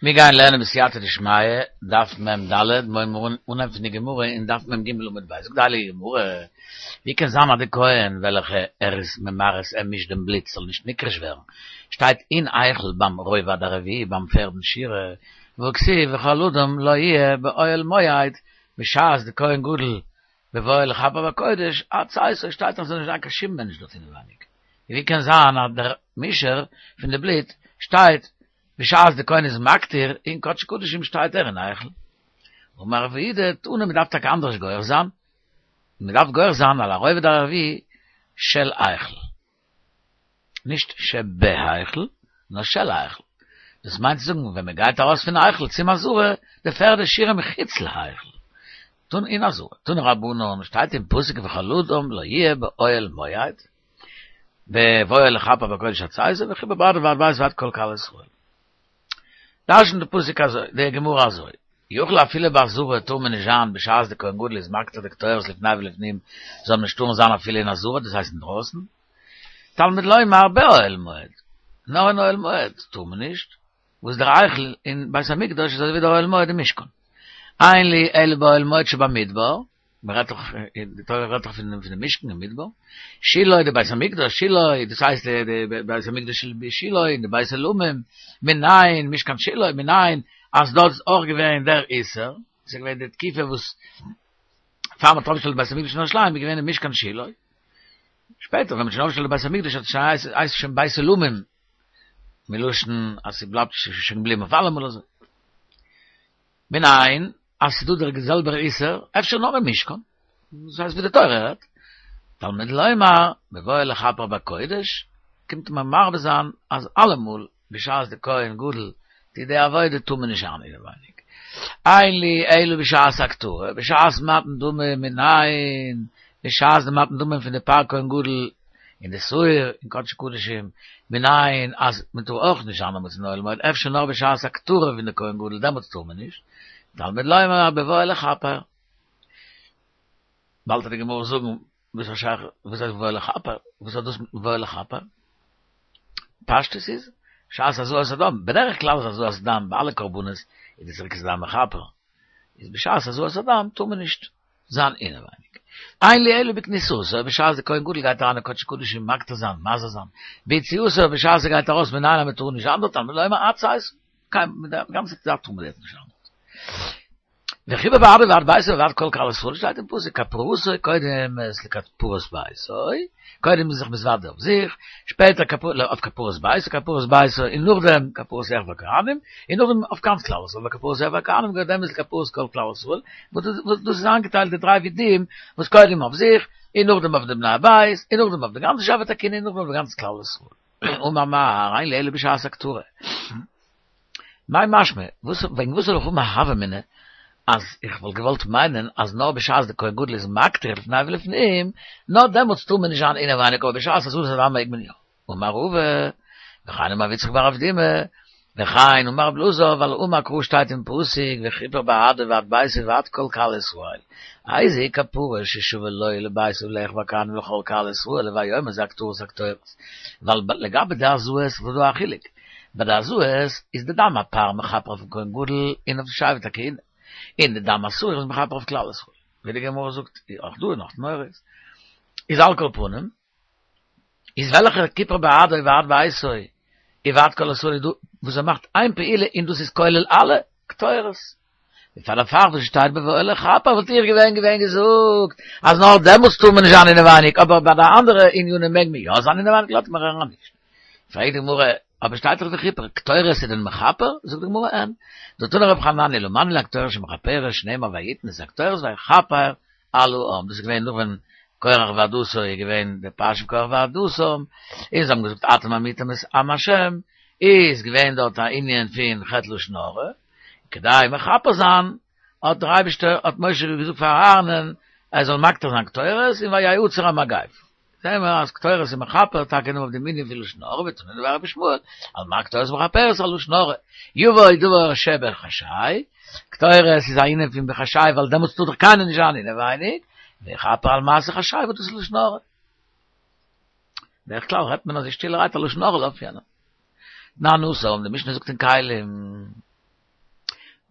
מיר גייען לערנען בסייעתא דשמיא, דף מ ד, מיר הייבן אן פון די גמרא אין דף מ ג עמוד ב', זאגט די הייליגע גמרא, ווי קען זיין אז די כהן וועלכע ער איז ממרס ער מישט דעם בלוט זאל נישט נקרש ווערן, שטייט אין היכל ביים רובד הרביעי ביים פערדן שורה, והכתיב וכל אדם לא יהיה באוהל מועד, בשעת די כהן גדול בבואו לכפר בקודש, עד צאתו שטייט אז ס'זאל נישט זיין קיין שום מענטש דארט אינעווייניג, ווי קען זיין אז דער מישער פון די בלוט שטייט בשעת די כהן איז מקטיר אין קדשי קדשים שטייט ער אין היכל. אמר רב יהודה תנא מ'דארף טאקע אנדערש גורס זיין, מ'דארף גורס זיין על הרובד הרביעי של היכל. נישט שבהיכל, נאר של היכל. דאס מיינט צו זאגן ווען מ'גייט ארויס פון היכל צום עזרה, די פערדע שורה מחוץ להיכל. תנא אין עזרה. תנו רבנן שטייט אין פסוק וכל אדם לא יהיה באוהל מועד. בבואו לכפר בקודש עד צאתו וכיפר בעדו ובעד ביתו ובעד כל קהל ישראל. דרש'נט די פסוק אזוי, די גמרא אזוי, יכול אפילו בעזרה טאר מען נישט זיין בשעת די כהן גדול איז מקטיר די קטורת לפני ולפנים זאל מען נישט טארן זיין אפילו אין עזרה דאס הייסט אינדרויסן, תלמוד לומר באוהל מועד, נאר אין אוהל מועד טאר מען נישט, וואס דער היכל אין בית המקדש איז אזוי ווי דער אוהל מועד אין משכן. אין לי אלא באוהל מועד שבמדבר, מען רעדט דאך, די תורה רעדט דאך פון דעם משכן אין מדבר, שילה די בית המקדש, שילה, דאס הייסט די בית המקדש של שילה און די בית עולמים, מנין, משכן שילה, מנין, אז דארט איז אויך געווען דער איסור, עס איז געווען די תקופה וואס פאר מען האט אויפגעשטעלט בית המקדש אין ירושלים איז געווען די משכן שילה, שפעטער ווען מען האט שוין אויפגעשטעלט די בית המקדש האט עס שוין הייסט שוין בית עולמים, מלשון אז ס'בלייבט שוין געבליבן אויף אלעמאל אזוי. מנין אז ס'איז דא דער זעלבער איסור, אפשר נאר אין משכן, דאס הייסט ווי די תורה רעדט, תלמוד לומר, בבואו לכפר בקודש, קומט מען מרבה זיין אז אלעמאל בשעת די כהן גדול טוט די עבודה טאר מען נישט זיין אינעווייניג. אין לי אלא בשעת הקטרה, בשעת מתן דמים מנין, בשעת די מתן דמים פון די פר כהן גדול און די שעיר אין קדשי קדשים, מנין אז מען טאר אויך נישט זיין דעמאלטס אין אוהל מועד, אפשר נאר בשעת הקטרה פון די כהן גדול דעמאלטס טאר מען נישט, תלמוד לומר בבואו לכפר. באלד וועט די גמרא זאגן וואס איז שייך וואס הייסט בבואו לכפר, וואס האט דאס מיט בבואו לכפר? פשטות איז, בשעת הזאת הדם, בדרך כלל איז הזאת הדם ביי אלע קרבנות איז די זריקת הדם מכפר, איז בשעת הזאת הדם טאר מען נישט זיין אינעווייניג. אין לי אלא בכניסתו, בשעת די כהן גדול גייט אריין אין קדשי קדשים מקטיר זיין, מזה זיין, ביציאתו בשעת ער גייט ארויס מנין אז מען טאר נישט זיין דארט, תלמוד לומר עד צאתו, קיין די גאנצע צייט טאר מען דארט נישט זיין דארט. וכיפר בעדו ובעד ביתו ובעד כל קהל ישראל שטייט אין פסוק כפרתו קודם לכפרת ביתו, קודם איז זיך מתוודה אויף זיך, שפעטער אויף כפרת ביתו, כפרת ביתו, און נאכדעם כפרת אחיו הכהנים, און נאכדעם אויף גאנץ כלל ישראל, וכפרת אחיו הכהנים קודמת לכפרת כל כלל ישראל, וואס דאס איז איינגעטיילט די דריי וידויים, וואס קודם אויף זיך, און נאכדעם אויף די בני הבית, און נאכדעם אויף די גאנצע שבט הכהונה, און נאכדעם אויף גאנץ כלל ישראל. אמר מר, אין לי אלא בשעת הקטרה. מאי משמע, וואס וועגן וואס זאל איך האבן א הוה אמינא אז איך וואלט געוואלט מיינען אז נאר בשעת די כהן גדול איז מקטיר לפני ולפנים, נאר דעמאלטס טאר מען נישט זיין אינעווייניג אבער בשעת הזאת הדם מעג מען יא. אמר רבא, וכן אמר רב יצחק בר אבדימי, וכן אמר רב אלעזר, ווייל אמר קרא שטייט אין פסוק וכיפר בעדו ובעד ביתו ובעד כל קהל ישראל, איזוהי כפרה ששווה לו ולביתו ולאחיו הכהנים ולכל קהל ישראל הוי אומר זה הקטרת הקטורת, ווייל לגבי די הזאות איז דא א חילוק, ביי די הזאות איז די דם הפר מכפר אויפן כהן גדול און אויף די שבט הכהונה, און די דם השעיר איז מכפר אויף כלל ישראל, ווי די גמרא זאגט אויך דא אין נאך תמורות, איז על כל פנים, איז וועלכע כיפר בעדו ובעד ביתו ובעד כל ישראל איז דא וואס ער מאכט איין פעולה און דאס איז כולל אלע קטורת. און פאר דערפאר וואס שטייט בבואו לכפר וואלט איך געווען געווען געזאגט אז נאר דעמאלטס טאר מען נישט זיין אינעווייניג אבער ביי די אנדערע ענינים מעג מען יא זיין אינעווייניג לאזט מען אריין נישט. פרעגט די גמרא, אבער שטייט דאך וכיפר, קטורת איז דען מכפר? זאגט די גמרא אין. דתני רבי חנניה לא מני לה קטורת שמכפרת שנאמר ויתן את הקטורת ויכפר על העם, דאס איז געווען נאך ווען קרח ועדתו איז געווען די פרשה פון קרח ועדתו, און זיי האבן געזאגט אתם המיתם את עם השם, איז געווען דארט א ענין פון חטא לשון הרע, כדי מכפר זיין האט דער אייבערשטער האט משה געזאגט פאר אהרנ'ען ער זאל מקטיר זיין קטורת און ויעצר המגפה, זעהן מיר אז קטורת איז מכפר טאקע נאר אויף דעם ענין פון לשון הרע, ותנא דבי רבי ישמעאל, על מה קטורת מכפרת על לשון הרע, יבוא דבר שבחשאי, קטורת איז א ענין פון בחשאי ווייל דעמאלטס טאר דאך קיינער נישט זיין אינעווייניג, ויכפר על מעשה חשאי וואס דאס איז לשון הרע. בדרך כלל רעדט מען אזוי שטילערהייט א לשון הרע אויף יענעם. תנן התם, די משנה זאגט אין כלים.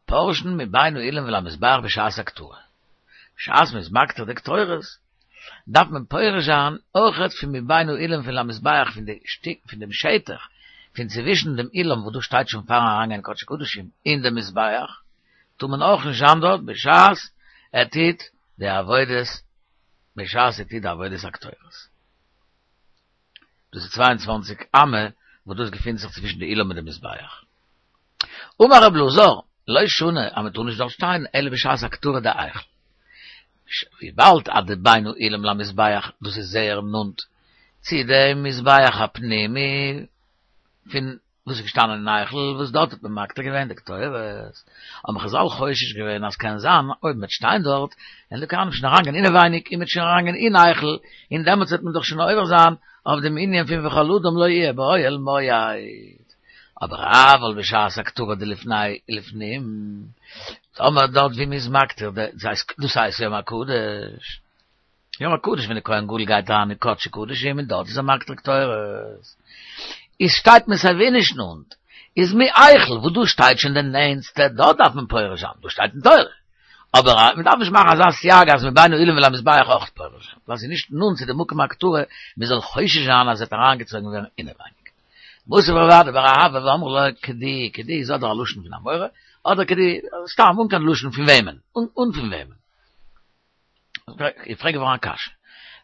פורשין מבין האילם ולמזבח בשעת הקטרה. בשעת מ'איז מקטיר די קטורת, דארף מען פורש זיין אויכעט פון מבין האילם ולמזבח פון די שטיק פון דעם שטח פון צווישן דעם אילם וואס דאס שטייט שוין פארן אריינגיין אין קדשי קדשים און דעם מזבח, טאר מען אויך נישט זיין דארט בשעת ער טוט די עבודת בשעת ער טוט די עבודת הקטורת. דאס איז 22 אמה וואס דאס געפינט זיך צווישן די אילם און די מזבח. אמר רב אלעזר, לא שנו אז מען טאר נישט דארט שטיין אלא בשעת הקטרה דהיכל. וויבאלד אז די בין האילם למזבח דאס איז זייער נאנט צו דעם מזבח הפנימי פון וואס איז געשטאנען אין היכל וואס דארט האט מען מקטיר געווען די קטורת, האבן חזל חושש געווען אז קען זיין אויב מען וועט שטיין דארט וועלן די כהנים שוין אריינגיין אינעווייניג און מען וועט שוין אריינגיין אין היכל און דעמאלטס וועט מען דאך שוין עובר זיין אויף דעם ענין פון וכל אדם לא יהיה באוהל מועד. אבער אבל בשעת הקטרה דלפני ולפנים, טאמער דארט ווי מ'איז מקטיר די, דאס הייסט יום הקדוש, יום הקדוש ווען די כהן גדול גייט אריין אין קדשי קדשים און דארט איז ער מקטיר קטורת, איז שטייט מען סייווי נישט נאנט, איז מהיכל וואס דא שטייט שוין די נענסטע, דארט דארף מען פורש זיין, דאס שטייט אין תורה. אבער מען דארף נישט מאכן אזא סייג אז מבין האילם ולמזבח אויך פורש זיין, ווייל ס'איז נישט נאנט צו די מקום הקטרה, מען זאל חושש זיין אז עס וועט אריינגעצויגן ווערן אינעווייניג. מתיב רב אדא בר אהבה ואמרי לה כדי, כדי איז אדער א לשון פון אמורא, אדער כדי, סתם אן קיין לשון פון וועמען, אן פון וועמען. איך פרעג געווארן א קשיא.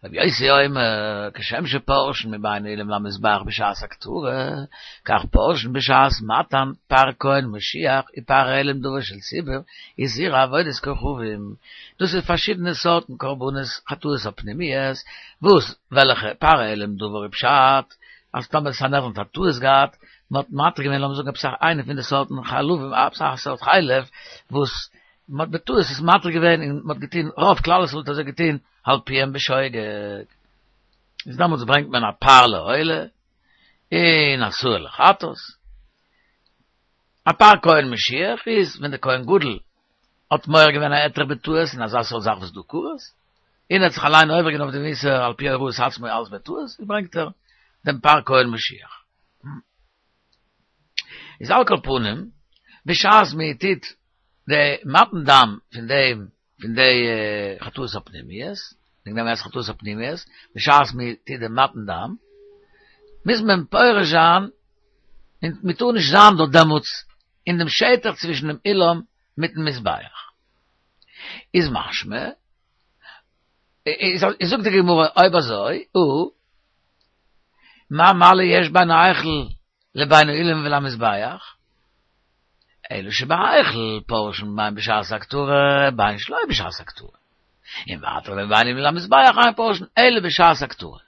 רבי יוסי אומר, כשם שפורשין מבין האילם למזבח בשעת הקטרה, כך פורשין בשעת מתן פר כהן משיח ופר העלם דבר של ציבור, איסור עבודת כוכבים. דאס איז פארשידענע סארטן קרבנות חטאות הפנימיות, וואס וועלכע פר העלם דבר איז פשט, אז טאמער סנהדרין האט א טעות געהאט, מען האט מתיר געווען לאמיר זאגן עפעס איינע פון די סארטן חלבים, עפעס א סארט חלב וואס מען האט בטעות עס מתיר געווען און מען האט געטון, רוב כלל ישראל האט אזוי געטון, על פיהם בשוגג. איז דעמאלטס ברענגט מען א פר לעולה און א שעיר לחטאת. א פר כהן משיח איז ווען דער כהן גדול האט מועל געווען א היתר בטעות אין אזא סארט זאך וואס דא כרת, און ער האט זיך אליין עובר געווען אויף דעם איסור על פי הוראת עצמו אלס בטעות, ברענגט ער דעם פר כהן משיח. איז על כל פנים, בשעת מען טוט די מתן דם פון דעם פון די חטאות הפנימיות, וועגן דעם הייסט חטאות הפנימיות, בשעת מען טוט די מתן דם, מוז מען פורש זיין, און מען טאר נישט זיין דארט דעמאלטס אין דעם שטח צווישן דעם אילם מיטן מזבח. איז משמע, איז זאגט די גמרא אויב אזוי, או, מה מעלה יש בין ההיכל לבין האילם ולמזבח? אלא שבהיכל פורשין בין בשעת הקטרה בין שלא בשעת הקטרה. און ווייטער בין האילם ולמזבח אין פורשין אלא בשעת הקטרה.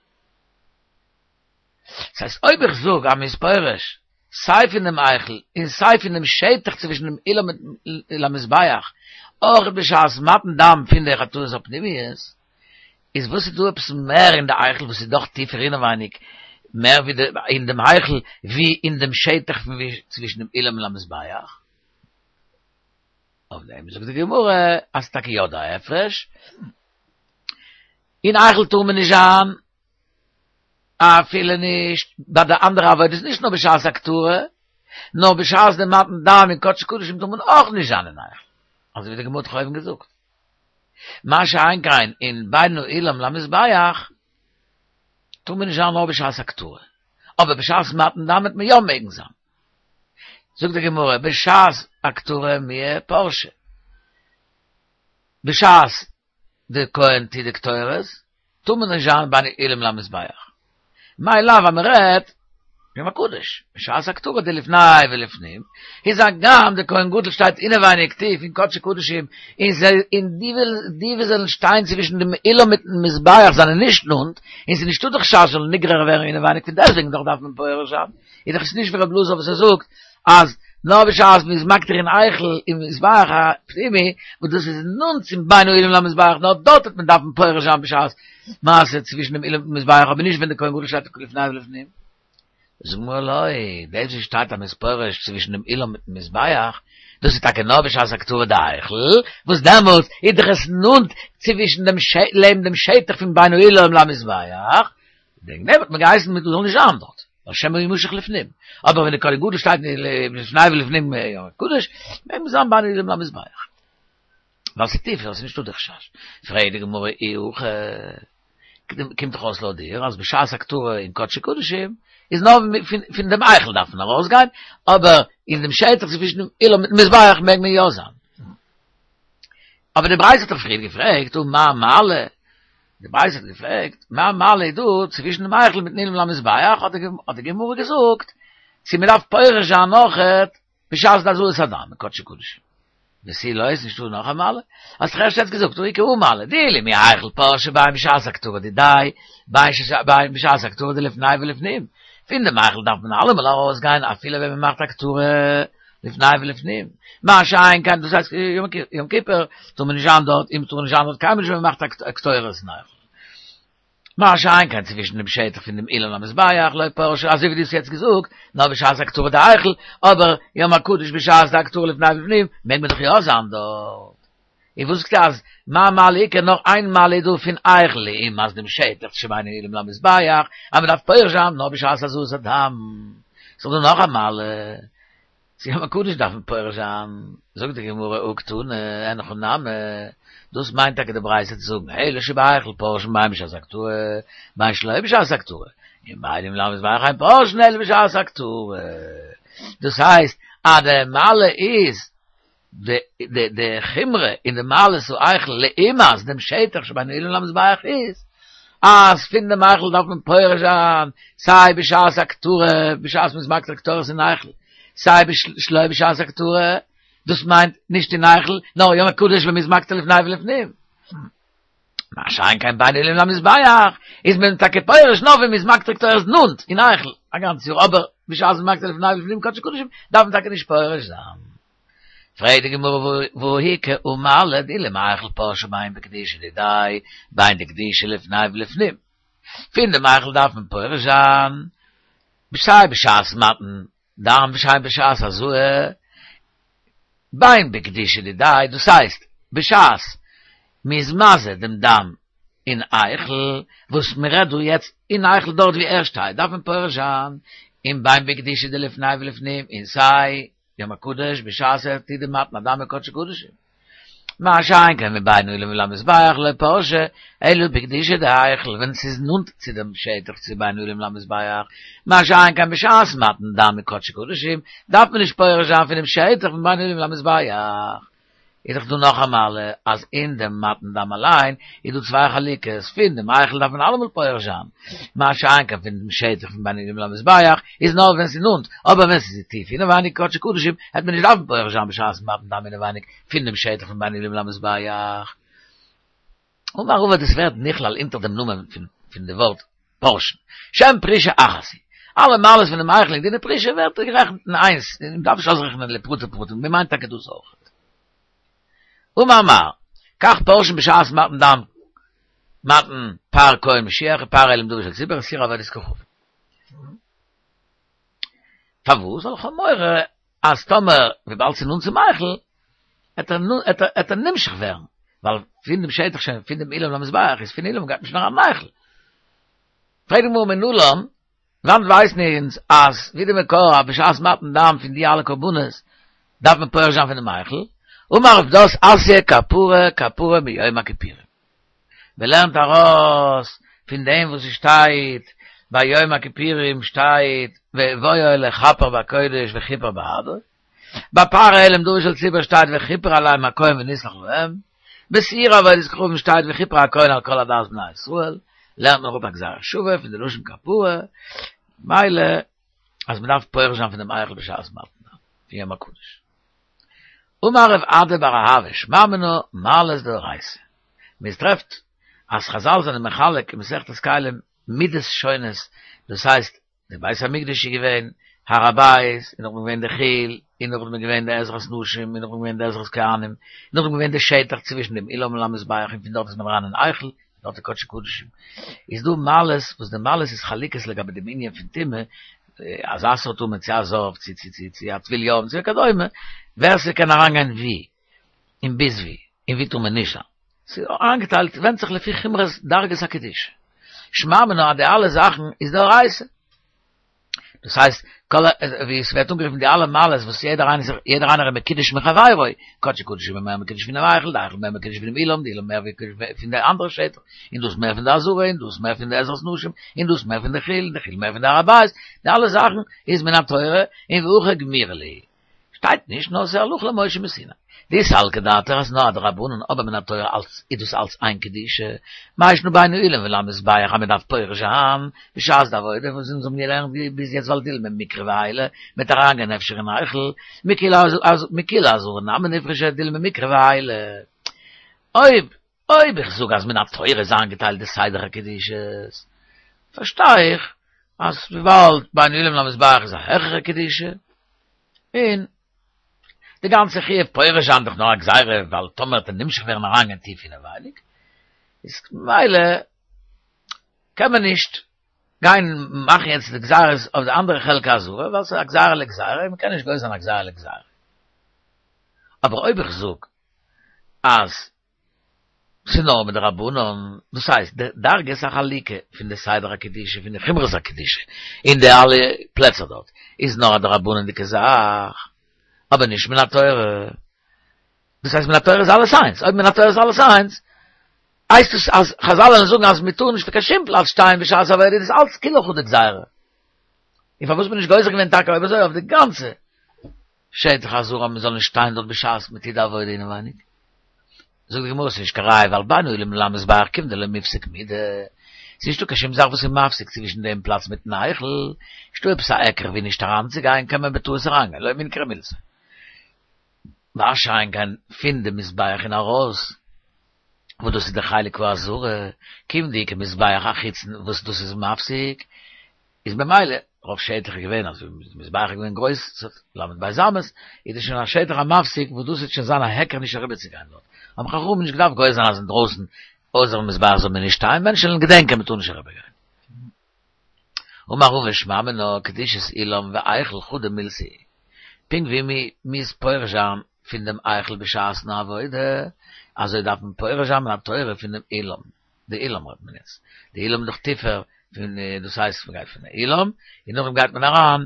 דאס הייסט אויב איך זאג אז מ'איז פורש סיי פון דעם היכל און סיי פון דעם שטח צווישן דעם אילם ולמזבח אויך בשעת מתן דם פון די חטאות הפנימיות, איז וואס איז דא עפעס מער אין די היכל וואס איז דאך טיפער אינעווייניג מער ווי די אין דעם היכל ווי אין דעם שטח פון ווי צווישן דעם אילם ולמזבח? אויף דעם זאגט די גמרא אז טאקע יא דא א הפרש, אין היכל טאר מען נישט זיין אפילו נישט ביי די אנדערע עבודות נישט נאר בשעת הקטרה, נאר בשעת די מתן דם אין קדשי קדשים טאר מען אויך נישט זיין אין היכל, אזוי ווי די גמרא האט דאך אויבן געזאגט. מה שאין כן אין בין האילם למזבח טאר מען נישט זיין נאר בשעת הקטרה, אבער בשעת מתן דם וועט מען יא מעגן זיין. זאגט די גמרא בשעת הקטרה מיהא פרשי, בשעת די כהן טוט די קטורת, טאר מען נישט זיין בין האילם למזבח. מאי לאו אז מען רעדט יום הקדוש, בשעת הקטרה דלפני ולפנים, איז הגם די כהן גדול שטייט אינעווייניג טיף אין קדשי קדשים, און זיי און די די וואס זאלן שטיין צווישן דעם אילם מיטן מזבח זענען נישט נאנט, און ס'איז נישטא די חשש זאל נגרר ווערן אינעווייניג פון דעסטוועגן דאך דארף מען פורש זיין, איז דאך עס נישט ווי רב אלעזר וואס ער זאגט אז נאר בשעת מ'איז מקטיר אין היכל אין מזבח הפנימי, וואס דאס איז נאנט צום בין האילם למזבח, נאר דארט וועט מען דארפן פורש זיין בשעת מעשה צווישן דעם אילם און מזבח, אבער נישט ווען דער כהן גדול שטייט לפני ולפנים. זאגט די גמרא לא, דאס וואס שטייט אז מ'איז פורש צווישן דעם אילם מיטן מזבח, דאס איז טאקע נאר בשעת הקטרה דהיכל, וואס דעמאלטס איז דאך עס נאנט צווישן דעם לעבן דעם שטח פון בין האילם למזבח, וועגן דעם האט מען געהייסן מען זאל נישט זיין דארט. ווייל שמא ימשך לפנים. אבער ווען די כהן גדול שטייט לפני ולפנים יום הקדוש, מעג מען זיין בין האולם למזבח. ווייל ס'איז טיף, ס'איז נישטא די חשש. פרעגט די גמרא אי הכי, קומט דאך אויס לויט דיר אז בשעת הקטרה אין קדשי קדשים איז נאר פון דעם היכל דארף מען ארויסגיין, אבער אין דעם שטח צווישן דעם אולם מיטן מזבח מעג מען יא זיין. אבער די ברייתא האט דאך פריער געפרעגט ומה מעלה, די ברייתא האט געפרעגט מה מעלה איז דא צווישן דעם היכל מיטן אולם למזבח, האט די גמרא געזאגט צו מען דארף פורש זיין אויכעט בשעת די הזאת הדם אין קדשי קדשים. ותו לא איז נישטא נאך א מעלה? האסט דאך ערשט יעצט געזאגט הא איכא הא מעלה, דאילו מהיכל פרשי בין בשעת הקטרה דידיה, בין בשעת הקטרה דלפני ולפנים, פון דעם היכל דארף מען אלעמאל ארויסגיין אפילו ווען מען מאכט הקטרה לפני ולפנים, מה שאין כן דאס הייסט יום כיפור טאר מען נישט זיין דארט, און מ'טאר נישט זיין דארט קיינמאל נישט ווען מ'מאכט הקטורת אין היכל. מה שאין כן צווישן דעם שטח פון דעם אולם למזבח לא פרשי אזוי ווי דו האסט יעצט געזאגט, נאר בשעת הקטרה דהיכל, אבער יום הקדוש בשעת די הקטרה לפני ולפנים מעג מען דאך יא זיין דארט. און וואס זאגסטו אז מה מעלה איכא נאר איין מעלה איז דא פון היכל לעומת דעם שטח שבין האולם למזבח אז מען דארף פורש זיין נאר בשעת הזאת הדם. ס'איז דא נאך א מעלה צו יום הקדוש דארף מען פורש זיין, זאגט די גמרא הא קתני אין הכי נמי, דאס מיינט טאקע די ברייתא צו זאגן אלו שבהיכל פורשין בין בשעת הקטרה בין שלא בשעת הקטרה, און בין האולם למזבח אין פורשין אלא בשעת הקטרה, דאס הייסט אז די מעלה איז די די די חומרא אין די מעלת ההיכל לעומת דעם שטח שבין האולם למזבח איז אז פון דעם היכל דארף מען פורש זיין סיי בשעת הקטרה בשעת מ'איז מקטיר קטורת אין היכל סיי שלא בשעת הקטרה דאס מיינט נישט אין היכל נאר יום הקדוש ווען מ'איז מקטיר לפני ולפנים. מה שאין כן בין האולם למזבח איז מען טאקע פורש נאר ווען מ'איז מקטיר קטורת נאנט אין היכל א גאנץ יאר אבער בשעת מ'איז מקטיר לפני ולפנים קדשי קדשים דארף מען טאקע נישט פורש זיין. פרעגט די גמרא והא איכא הא מעלה דאילו מהיכל פרשי בין בקדושה דידיה בין דקדישא לפני ולפנים פון דעם היכל דארף מען פורש זיין סיי בשעת מתן דם וסיי בשעת הזאה בין בקדושה דידיה דאס הייסט בשעת מ'איז מזה דעם דם אין היכל וואס מ'רעדט דא יעצט אין היכל דארט ווי ער שטייט דארף מען פורש זיין און בין בקדושה דלפני ולפנים און סיי יום הקדוש בשעת ער טוט די מתן הדם אין קדשי קדשים. מה שאין כן מבין האולם למזבח לא פרשי אלא בקדושה דהיכל ווען ס'איז נאנט צו דעם שטח צו בין האולם למזבח, מה שאין כן בשעת מתן דם אין קדשי קדשים דארף מען נישט פורש זיין פונעם שטח פון בין האולם למזבח. איז דאך דא נאך א מעלה אז אין דעם מתן דם אליין איז דא צוויי חלוקות, פון דעם היכל דארף מען אלעמאל פורש זיין, מה שאין כן פון דעם שטח פון בין האולם למזבח איז נאר ווען ס'איז נאנט, אבער ווען ס'איז טיף אינעווייניג קדשי קדשים העט מען נישט דארפן פורש זיין בשעת מתן דם אינעווייניג פון דעם שטח פון בין האולם למזבח. אמר רבא דאס ווערט נכלל אונטער דעם נאמען פון די ווארט פורשין, שם פרישה אחת היא. אלע מעלות פון דעם היכל און דיני פרישה ווערט גערעכנט אין איינס, מען דארף נישט אויסרעכענען לפרטי פרטים, מען מיינט טאקע דאס אויך. אמר מר, כך פורשין בשעת מתן דם, מתן פר כהן משיח ופר אילים דבר של ציבור ושעיר עבודת כוכבים. פארוואס? ווייל איך האב מורא אז טאמער וויבאלד ס'איז נאנט צום היכל, עט ער נמשך ווערן, ווייל פון דעם שטח שוין פון דעם אולם למזבח איז פון אולם גייט מען שוין אריין אין היכל. פרעגט די גמרא מנלן, וואנעט ווייסן אונז אז ווי די מקור אז בשעת מתן דם פון די אלע קרבנות דארף מען פורש זיין פונעם היכל, אמר רב פדת אתיא כפרה כפרה מיום הכיפורים. מען לערנט ארויס פון דעם וואס עס שטייט ביי יום הכיפורים שטייט בבואו לכפר בקודש וכיפר בעדו, ביי פר העלם דבר של ציבור שטייט וכיפר עליהם הכהן ונסלח להם, בשעיר עבודת כוכבים שטייט וכיפר הכהן על כל עדת בני ישראל, לערנט מען אראפ א גזירה שווה פון די לשון כפרה, מילא אז מען דארף פורש זיין פון דעם היכל בשעת מתן דם פון יום הקדוש. אמר רב אדא בר אהבה שמע מינה מעלות דאורייתא. מען טרעפט אז חזל זענען מחלק אין מסכת כלים מידות שונות, דאס הייסט די בית המקדש איז געווען הר הבית, און נאכדעם געווען די חיל, און נאכדעם איז געווען די עזרת נשים, און נאכדעם געווען די עזרת כהנים, און נאכדעם געווען די שטח צווישן דעם אולם און למזבח, און פון דארט איז מען אריין אין היכל, און דארט איז קדשי קדשים. איז דא מעלות וואס די מעלות איז חלוקות לגבי דעם ענין פון טומאה, אזא סארט טומאה צו א זב, צו צו צו צו א טבול יום, צו וכדומה, ווער ס'קען אריינגיין ווי, און ביז ווי, און ווי טאר מען נישט זיין. ס'איז איינגעטיילט, ווענדט זיך לפי חומרות דרגות הקדושה. שמע מינה אז די אלע זאכן איז דאורייתא. דאס הייסט, כל ווי עס ווערט אנגערופן די אלע מעלות וואס יעדער איינער זיך יעדער איינער איז מקודש מחבירו, קדשי קדשים איז מער מקודש פונעם היכל, די היכל מער מקודש פונעם אולם, די אולם מער מקודש פון די אנדערע שטח, און דאס מער פון די עזרה, און דאס מער פון די עזרת נשים, און דאס מער פון די חיל, און די חיל מער פון די הר הבית, די אלע זאכן איז מן התורה, און והכי גמירי להו. שטייט נישט נאר ס'איז הלכה למשה מסיני. דאי סלקא דעתך אז נאר א דרבנן אבער מן התורה אלץ איז דאס אלץ איין קדושה, מאי שנא בין האולם ולמזבח אז מ'דארף פורש זיין בשעת די עבודה וואס אונז האבן געלערנט ביז יעצט ווייל דילמא מיקרבי עיילי מ'עט אריינגיין אפשר אין היכל מכולה עזרה נמי נפרשו דילמא מיקרבי עיילי. אויב אויב איך זאג אז מן התורה איז איינגעטיילט די סדר הקדושות פארשטיי איך אז וויבאלד בין האולם למזבח איז א העכערע קדושה און די גאנצע חיוב פורש זיין דאך נאר א גזירה ווייל טאמער וועט ער נמשך ווערן אריינגיין טיף אינעווייניג איז ממילא קען מען נישט גיין מאכן יעצט די גזירות אויף די אנדערע חלק העזרה ווייל ס'איז א גזירה לגזירה און מ'קען נישט גוזר זיין א גזירה לגזירה. אבער אויב איך זאג אז ס'איז נאר מדרבנן, דאס הייסט די דרגת החלוקה פון די סדר הקדושה פון די חומרות הקדושה אין די אלע פלעצער דארט איז נאר א דרבנן'דיגע זאך, אבער נישט מן התורה. דאס הייסט מן התורה איז אלעס איינס, אויב מן התורה איז אלעס איינס, הייסט עס אז חזל וועלן זאגן אז מ'טאר נישט פון קיין שום פלאץ שטיין בשעת עבודה איז דאס אלץ כולא חדא גזירה. און פארוואס מ'נישט גוזר געווען טאקע אויב אזוי אויף די גאנצע שטח העזרה אז מ'זאל נישט שטיין דארט בשעת מ'טוט די עבודה אינעווייניג. זאגט די גמרא ס'איז נישט קיין ראיה ווייל בין האולם למזבח כיון דלא מיפסק מידי, ס'איז נישטא קיין שום זאך וואס איז מפסיק צווישן דעם פלאץ מיטן היכל, נישטא עפעס א היכר ווי נישט אריינצוגיין קען מען בטעות אריינגיין, לא מינכרא מילתא. מה שאין כן פון די מזבח און ארויס, וואס דאס איז די חלק העזרה, כיון דאיכא מזבח החיצון וואס דאס איז מפסיק, איז במילא רוב שטח איז געווען אז די מזבח איז געווען גרויס ס'האט ל"ב אמות, איז דאס שוין א שטח המפסיק וואס דאס וועט שוין זיין א היכר נישט אריבער צו גיין דארט, האבן חכמים נישט געדארפט גוזר זיין אז אינדרויסן אויסערן מזבח זאל מען נישט שטיין, מענטשן וועלן געדענקען מען טאר נישט אריבער גיין. אמר רבא שמע מינה קדושת אולם והיכל חדא מילתא היא, פונקט ווי מען מוז פורש זיין פון דעם היכל בשעת'ן עבודה, אזוי דארף מען פורש זיין מן התורה פון דעם אולם. די אולם רעדט מען יעצט, די אולם איז דאך טיפער פון דאס הייסט מען גייט פון די אולם און נאכדעם גייט מען אריין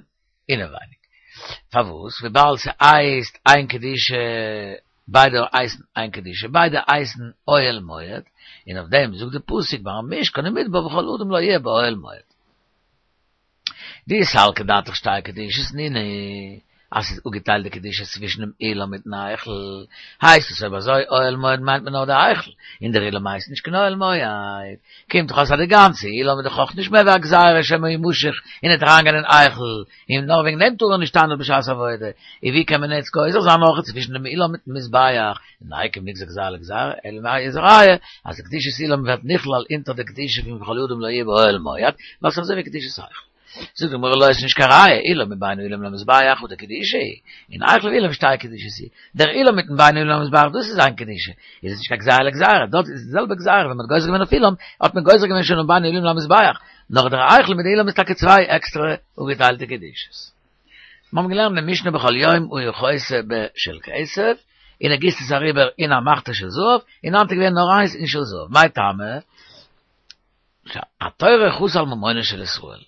אינעווייניג, פארוואס וויבאלד ס'הייסט איין קדושה ביידע הייסן איין קדושה ביידע הייסן אוהל מועד, און אויף דעם זאגט די פסוק ביים משכן אין מדבר וכל אדם לא יהיה באוהל מועד. דאי סלקא דעתך שתי קדושות נינהו, אז ס'איז אפגעטיילט די קדושה צווישן דעם אולם מיטן היכל, הייסט עס אויב אזוי אוהל מועד מיינט מען נאר די היכל, און דער אולם הייסט נישט קיין אוהל מועד, קומט דאך אויס אז די גאנצע אולם איז דאך אויך נישט מער ווי א גזירה שמא ימשך און וועט אריינגיין אין היכל, און נאר וועגן דעם טאר ער נישט שטיין דארט בשעת עבודה, און ווי קען מען יעצט גוזר זיין אויך צווישן דעם אולם מיטן מזבח, נייקא נגזר גזירה לגזירה, אלא מאי איז א ראיה אז די קדושת אולם ווערט נכלל אונטער די קדושה פון וכל אדם לא יהיה באוהל מועד, ווייל ס'איז אזוי ווי קדושת היכל. זאגט די גמרא לא איז נישט קיין ראיה, אולם מבין האולם למזבח חדא קדושה היא, און היכל ואולם שתי קדושות היא, דער אולם מיטן בין האולם למזבח דאס איז איין קדושה, איז עס נישט קיין גזירה לגזירה, דארט איז די זעלבע גזירה, ווען מ'האט גוזר געווען אויף אולם, האט מען גוזר געווען שוין אויף בין האולם למזבח, נאר דער היכל מיט די אולם איז טאקע צוויי עקסטערע אפגעטיילטע קדושות. מיר האבן געלערנט אין משנה בכל יום היה חותה בשל כסף, און ער גיסט עס אריבער אין א מחתה של זהב, און היינט איז געווען נאר איינס אין של זהב, מאי טעמא? התורה חסה על ממונן של ישראל.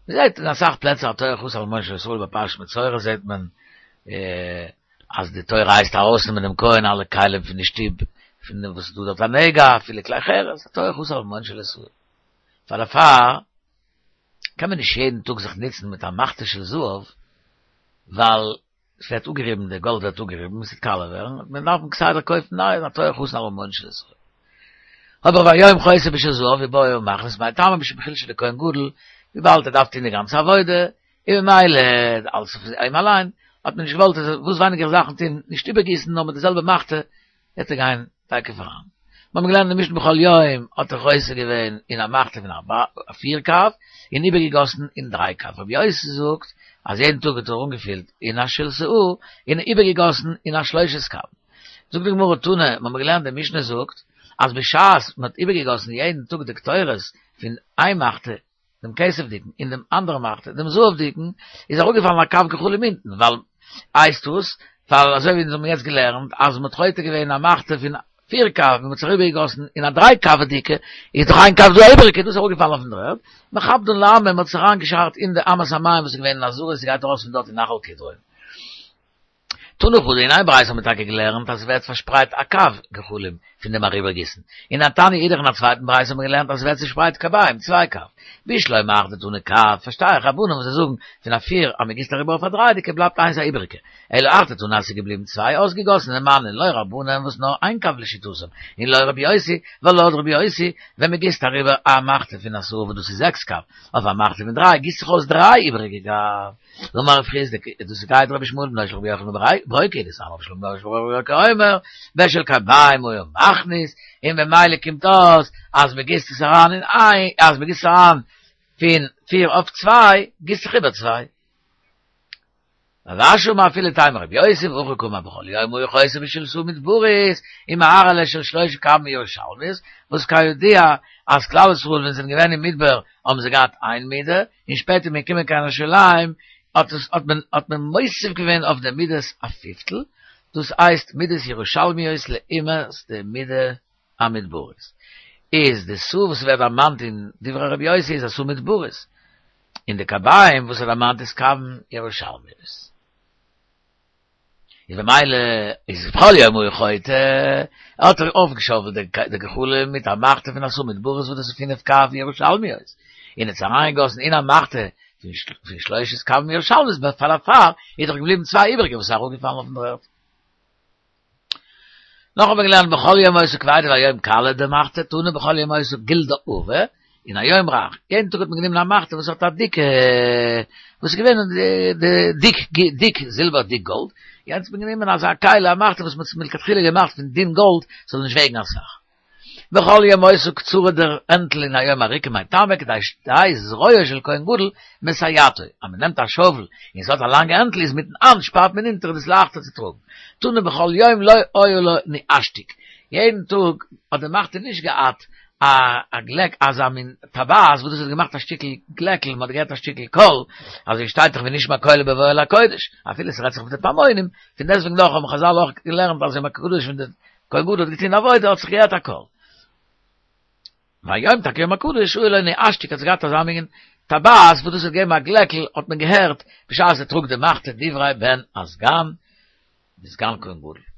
מען זעט אין אסאך פלעצער התורה חסה על ממונן של ישראל ביי פרשת מצורע זעט מען אז די תורה הייסט ארויסנעמען דעם כהן אלע כלים פון די שטוב פון דעם וואס איז דא דארט א נגע אפילו כלי חרס התורה חסה על ממונן של ישראל. פאר דערפאר קען מען נישט יעדן טאג זיך נוצן מיט א מחתה של זהב ווייל עס ווערט אפגעריבן, די גאלד ווערט אפגעריבן, עס וועט קאלע ווערן, וועט מען דארפן כסדר קויפן נייע, התורה חסה על ממונן של ישראל. אבער והיום חותה בשל זהב ובא ומכניס מאי טעמא משום חולשא דכהן גדול, וויבאלד ער דארף טון די גאנצע עבודה, און ממילא אלס אויף אים אליין, האט מען נישט געוואלט אז וואס ווייניגער זאכן טון, נישט איבערגיסן נאר מיט די זעלבע מחתה וועט ער גיין תיכף אריין. מיר האבן געלערנט אין די משנה בכל יום האט ער חותה געווען אין א מחתה פון א פיר קב און איבערגעגאסן אין דריי קב. רבי יוסי זאגט אז יעדן טאג האט ער אנגעפילט אין א של סאה און איבערגעגאסן אין א שלושת קב. זאגט די גמרא תנא, מיר האבן געלערנט די משנה זאגט אז בשעת מען האט איבערגעגאסן יעדן טאג די קטורת פון איין מחתה דעם כסף'דיגן, און דעם אנדערן מחתה, דעם זהב'דיגן, איז אראפגעפאלן א קב גחלים אונטן, ווייל, הייסט עס, ווייל אזוי ווי אונז האבן יעצט געלערנט, אז מ'האט חותה געווען א מחתה פון. פיר קב, ווען מ'האט עס אריבערגעגאסן אין א דריי קב'דיגע, איז דאך איין קב דא איבעריגע, דאס איז אראפגעפאלן אויפן דר'ערד, מכבדן לאמה, מ'האט עס אריינגעשארט אין די אמת המים וואס איז געווען אין עזרה, ס'גייט ארויס פון דארט אין נחל קדרון. תנא חדא, אין איין ברייתא האט מען טאקע געלערנט אז ס'ווערט פארשפרייט א קב גחלים פון דעם אריבערגיסן, און תניא אידך אין א צווייטן ברייתא האט מען געלערנט אז ס'ווערט צושפרייט קביים, צוויי קב. בשלמא היאך דתני קב, פארשטיי איך רבנן וואס זיי זאגן פון א פיר אז מ'גיסט אריבער אויף א דריידיגע בלייבט איינס א איבעריגע, אלא היאך דתני אז ס'איז געבליבן צוויי אויסגעגאסענע מני לא רבנן וואס נאר איין קב לשיטתם, און לא רבי יוסי, ווייל לויט רבי יוסי ווען מ'גיסט אריבער א מחתה פון עשרה וואס דאס איז זעקס קב, אויף א מחתה פון דריי גיסט זיך אויס דריי איבעריגע קב. אמר רב חסדא, דאס גייט רבי ישמעאל בנו של רבי יוחנן בן ברוקה, דתניא רבי ישמעאל בנו של רבי ברוקה אומר, בשל קביים היה מכניס, און במילא קומט אויס אז מען גיסט עס אריין אין איין, אז מען גיסט עס אריין פון פיר אויף צוויי, גיסט זיך איבער צוויי. רב אשי אמר אפילו תימא רבי יוסי והכי קאמר בכל יום היה חותה בשל סאה מדברית ומערה עליה של שלשה קבין ירושלמיות, וואס כידוע אז כלל ישראל ווען זיי זענען געווען אין מדבר האבן זיי געהאט איין מידה, און שפעטער מ'איז געקומען קיין ירושלים האט עס האט מען האט מען מוסיף געווען אויף די מידות א פיפטל, דאס הייסט מידות ירושלמיות לעומת די מידה המדברית. איז די סאה וואס ווערט דערמאנט אין דברי רבי יוסי איז א סאה מדברית, און די קביים וואס ער דערמאנט איז קבין ירושלמיות. איז במילא איז בכל יום היה חותה, האט ער אויפגעשאוועלט די גחלים מיט א מחתה פון א סאה מדברית וואס דאס איז פינף קב ירושלמיות, און האט עס אריינגעגאסן אין א מחתה פון שלושת קבין ירושלמיות, פאר דערפאר איז דאך געבליבן צוויי איבעריגע וואס איז אראפגעפאלן אויפן דר'ערד. נאך האבן מיר געלערנט בכל יום היתה כבידה והיום קלה די מחתה תנא בכל יום היתה גלדה עבה און היום רך, יעדן טאג האט מען גענומען א מחתה וואס האט א דיקע, וואס איז געווען די דיק דיק זילבער דיק גאלד, יעצט האט מען גענומען אזא כלי א מחתה וואס מען האט מלכתחילה געמאכט פון דין גאלד ס'זאל נישט וועגן אסאך. בכל יום היתה קצרה דער הענטל און היום ארוכה מאי טעמא כדי שתהא זרועו של כהן גדול מסייעתו, אז מען נעמט א שאוול און ס'האט א לאנגע הענטל איז מיטן האנט שפארט מען אונטער איז עס לייכטער צו טראגן. תנא בכל יום לא היה לה ניאשתיק, יעדן טאג האט די מחתה נישט געהאט א א גלעק אזא מין טבעת וואס דאס האט געמאכט א שטיקל גלעקל, מען האט געהערט א שטיקל קול, אזוי שטייט דאך ונשמע קולו בבואו אל הקודש, אפילו ס'רעדט זיך אויף די פעמונים, פון דעסטוועגן דאך האבן חזל אויך געלערנט אז יום הקדוש ווען די כהן גדול האט געטון עבודה האט זיך געהערט א קול. והיום טאקע יום הקדוש היה לו ניאשתיק האט זיך געהאט אזא מין טבעת וואס דאס האט געגעבן א גלעקל האט מען געהערט בשעת ער טראגט די מחתה דברי בן הסגן די סגן כהן גדול.